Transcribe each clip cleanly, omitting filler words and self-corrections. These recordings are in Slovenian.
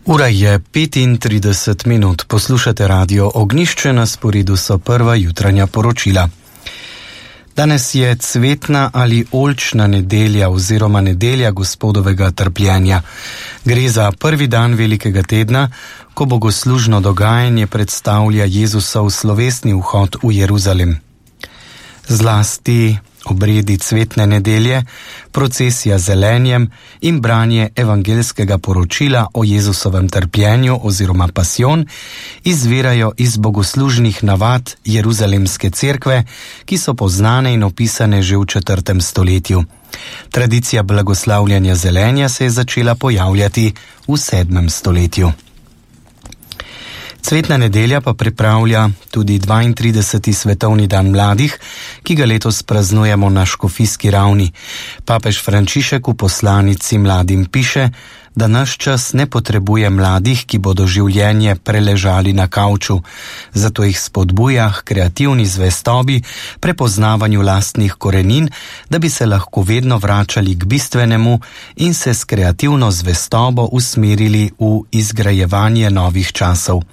Ura je 35 minut. Poslušate Radio Ognjišče, na sporedu so prva jutranja poročila. Danes je cvetna ali oljčna nedelja oziroma nedelja Gospodovega trpljenja. Gre za prvi dan velikega tedna, ko bogoslužno dogajanje predstavlja Jezusov slovesni vhod v Jeruzalem. Zlasti obredi cvetne nedelje, procesija z zelenjem in branje evangelskega poročila o Jezusovem trpljenju oziroma pasjon izvirajo iz bogoslužnih navad Jeruzalemske cerkve, ki so poznane in opisane že v 4. stoletju. Tradicija blagoslavljanja zelenja se je začela pojavljati v 7. stoletju. Cvetna nedelja pa pripravlja tudi 32. svetovni dan mladih, ki ga letos praznujemo na škofijski ravni. Papež Frančišek v poslanici mladim piše, da naš čas ne potrebuje mladih, ki bodo življenje preležali na kavču, zato jih spodbuja k kreativni zvestobi, prepoznavanju lastnih korenin, da bi se lahko vedno vračali k bistvenemu in se s kreativno zvestobo usmerili v izgrajevanje novih časov.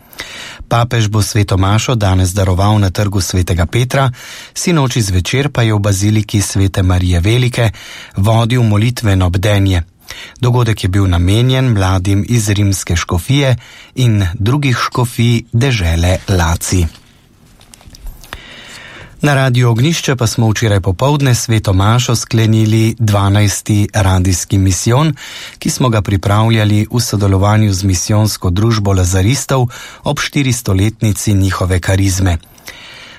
Papež bo sveto mašo danes daroval na trgu svetega Petra, sinoči zvečer pa je v baziliki svete Marije Velike vodil molitveno bdenje. Dogodek je bil namenjen mladim iz rimske škofije in drugih škofij dežele Laci. Na Radiu Ognjišče pa smo včeraj popoldne sveto mašo sklenili 12. radijski misijon, ki smo ga pripravljali v sodelovanju z misijonsko družbo Lazaristov ob 400-letnici njihove karizme.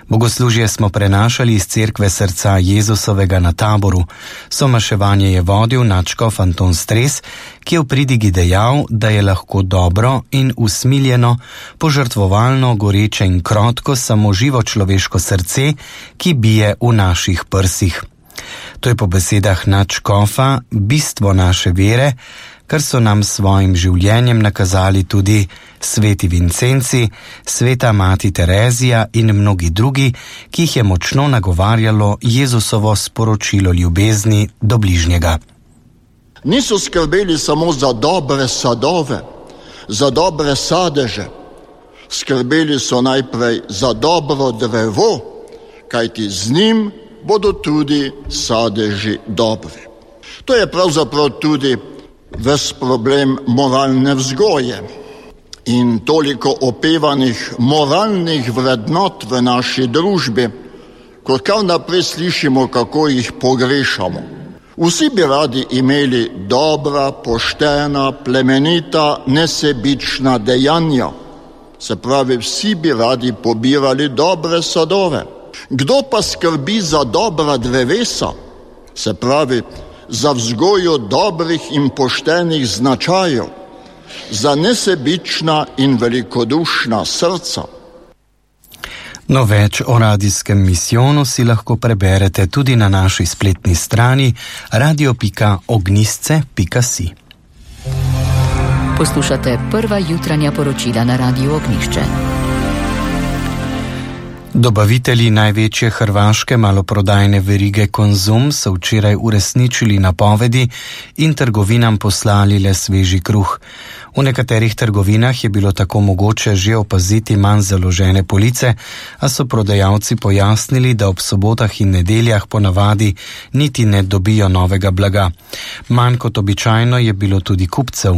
Bogoslužje smo prenašali iz cerkve srca Jezusovega na Taboru. Somaševanje je vodil nadškof Anton Stres, ki je v pridigi dejal, da je lahko dobro in usmiljeno, požrtvovalno, goreče in krotko samo živo človeško srce, ki bije v naših prsih. To je po besedah nadškofa bistvo naše vere, kar so nam svojim življenjem nakazali tudi sveti Vincenci, sveta mati Terezija in mnogi drugi, ki jih je močno nagovarjalo Jezusovo sporočilo ljubezni do bližnjega. Niso skrbeli samo za dobre sadove, za dobre sadeže. Skrbeli so najprej za dobro drevo, kajti z njim bodo tudi sadeži dobri. To je pravzaprav tudi ves problem moralne vzgoje in toliko opevanih moralnih vrednot v naši družbi, ko kar naprej slišimo, kako jih pogrešamo. Vsi bi radi imeli dobra, poštena, plemenita, nesebična dejanja. Se pravi, vsi bi radi pobirali dobre sadove. Kdo pa skrbi za dobra drevesa? Se pravi, za vzgojo dobrih in poštenih značajev, za nesebična in velikodušna srca. No, več o radijskem misijonu si lahko preberete tudi na naši spletni strani radio.ognjisce.si. Poslušate prva jutranja poročila na Radiu Ognjišče. Dobavitelji največje hrvaške maloprodajne verige Konzum so včeraj uresničili napovedi in trgovinam poslali le sveži kruh. V nekaterih trgovinah je bilo tako mogoče že opaziti manj založene police, a so prodajalci pojasnili, da ob sobotah in nedeljah ponavadi niti ne dobijo novega blaga. Manj kot običajno je bilo tudi kupcev.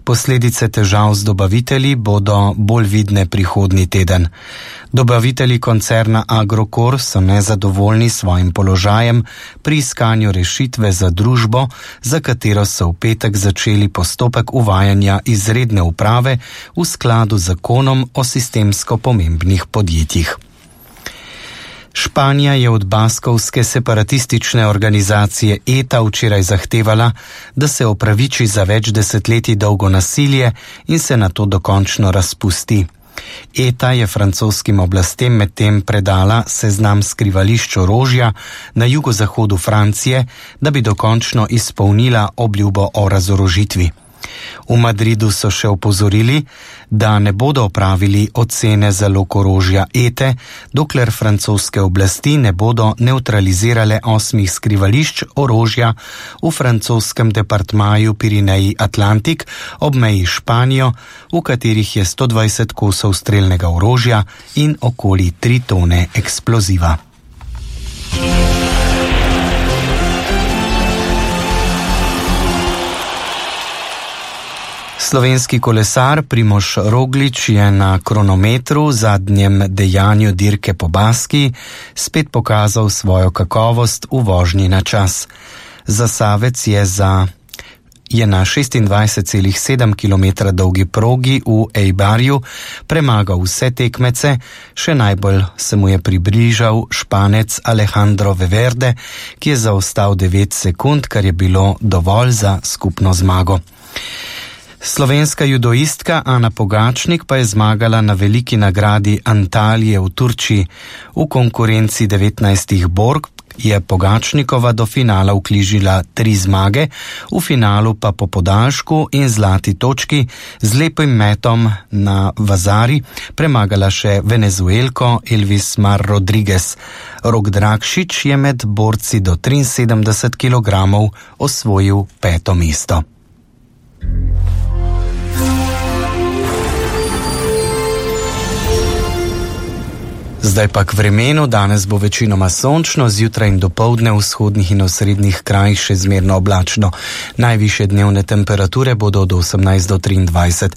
Posledice težav z dobavitelji bodo bolj vidne prihodnji teden. Dobavitelji koncerna Agrokor so nezadovoljni s svojim položajem pri iskanju rešitve za družbo, za katero so v petek začeli postopek uvajanja izredne uprave v skladu z zakonom o sistemsko pomembnih podjetjih. Španija je od baskovske separatistične organizacije ETA včeraj zahtevala, da se opraviči za več desetletij dolgo nasilje in se nato dokončno razpusti. ETA je francoskim oblastem medtem predala seznam skrivališč orožja na jugozahodu Francije, da bi dokončno izpolnila obljubo o razorožitvi. V Madridu so še opozorili, da ne bodo opravili ocene zalog orožja ETE, dokler francoske oblasti ne bodo nevtralizirale 8 skrivališč orožja v francoskem departmaju Pirineji Atlantik ob meji Španijo, v katerih je 120 kosov strelnega orožja in okoli 3 tone eksploziva. Slovenski kolesar Primož Roglič je na kronometru v zadnjem dejanju dirke po Baskiji spet pokazal svojo kakovost v vožnji na čas. Zasavec je na 26,7 km dolgi progi v Eibarju premagal vse tekmece, še najbolj se mu je približal Španec Alejandro Valverde, ki je zaostal 9 sekund, kar je bilo dovolj za skupno zmago. Slovenska judoistka Ana Pogačnik pa je zmagala na veliki nagradi Antalije v Turčiji. V konkurenci 19 borg je Pogačnikova do finala vknjižila 3 zmage, v finalu pa po podaljšku in zlati točki z lepim metom na Vazari premagala še Venezuelko Elvis Mar Rodriguez. Rok Drakšič je med borci do 73 kg osvojil 5. mesto. Zdaj pa k vremenu. Danes bo večinoma sončno, zjutraj in dopoldne v vzhodnih in osrednjih krajih še zmerno oblačno. Najvišje dnevne temperature bodo od 18 do 23.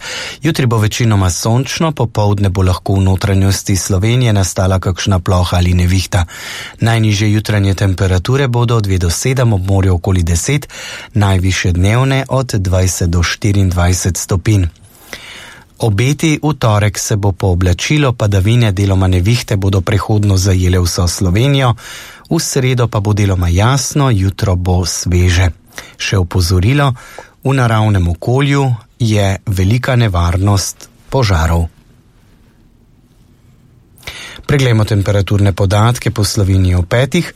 Jutri bo večinoma sončno, popoldne bo lahko v notranjosti Slovenije nastala kakšna ploha ali nevihta. Najnižje jutranje temperature bodo od 2 do 7, ob morju okoli 10, najvišje dnevne od 20 do 24 stopinj. Obeti v torek se bo pooblačilo, padavine, deloma nevihte bodo prehodno zajele vso Slovenijo, v sredo pa bo deloma jasno, jutro bo sveže. Še opozorilo, v naravnem okolju je velika nevarnost požarov. Preglejmo temperaturne podatke po Sloveniji v petih.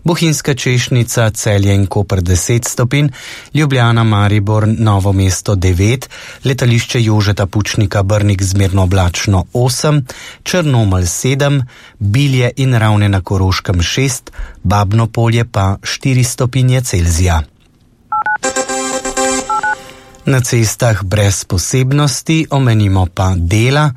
Bohinjska Češnica, Celje in Koper 10 stopinj, Ljubljana, Maribor, Novo mesto 9, letališče Jožeta Pučnika Brnik zmerno oblačno 8, Črnomelj 7, Bilje in Ravne na Koroškem 6, Babno Polje pa 4 stopinje Celzija. Na cestah brez posebnosti omenimo pa dela.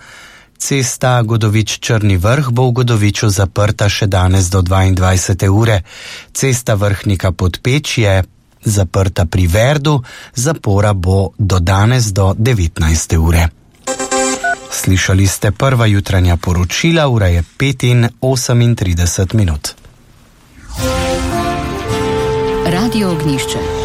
Cesta Godovič-Črni vrh bo v Godoviču zaprta še danes do 22. ure. Cesta Vrhnika-Podpeč je zaprta pri Verdu, zapora bo do danes do 19. ure. Slišali ste prva jutranja poročila, ura je 5:38 minut. Radio Ognjišče.